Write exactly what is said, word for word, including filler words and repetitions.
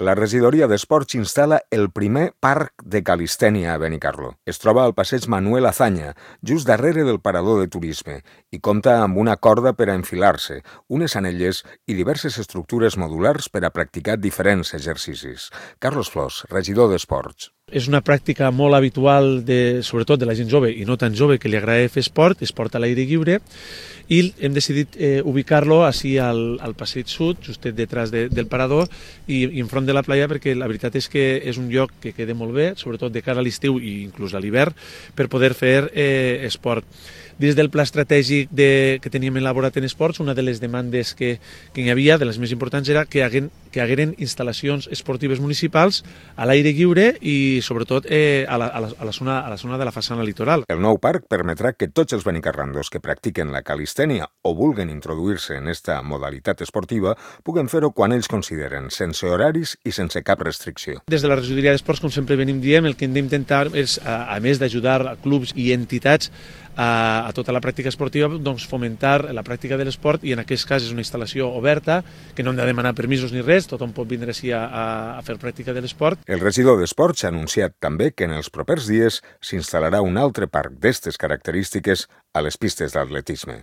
La regidoria d'Esports instal·la el primer parc de calistènia a Benicarló. Es troba al passeig Manuel Azaña, just darrere del parador de turisme, i compta amb una corda per a enfilar-se, unes anelles i diverses estructures modulars per a practicar diferents exercicis. Carlos Flors, regidor d'Esports. És una pràctica molt habitual, de, sobretot de la gent jove i no tan jove, que li agrada fer esport, esport a l'aire lliure, i hem decidit eh, ubicar-lo així al, al passeig sud, justet detrás de, del parador i, i enfront de la playa, perquè la veritat és que és un lloc que queda molt bé, sobretot de cara a l'estiu i inclús a l'hivern, per poder fer eh, esport. Dins del pla estratègic de, que teníem elaborat en esports, una de les demandes que, que hi havia, de les més importants, era que hagueren, que hagueren instal·lacions esportives municipals a l'aire lliure i sobretot eh, a, la, a, la, a, la zona, a la zona de la façana litoral. El nou parc permetrà que tots els benicarrandos que practiquen la calistènia o vulguen introduir-se en esta modalitat esportiva puguen fer-ho quan ells consideren, sense horaris i sense cap restricció. Des de la regidoria d'Esports, com sempre venim dient, el que hem d'intentar és, a, a més d'ajudar a clubs i entitats a, a tota la pràctica esportiva, doncs fomentar la pràctica de l'esport, i en aquest cas és una instal·lació oberta, que no hem de demanar permisos ni res, tothom pot vindre així a, a fer pràctica de l'esport. El regidor d'Esports ha anunciat també que en els propers dies s'instal·larà un altre parc d'estes característiques a les pistes d'atletisme.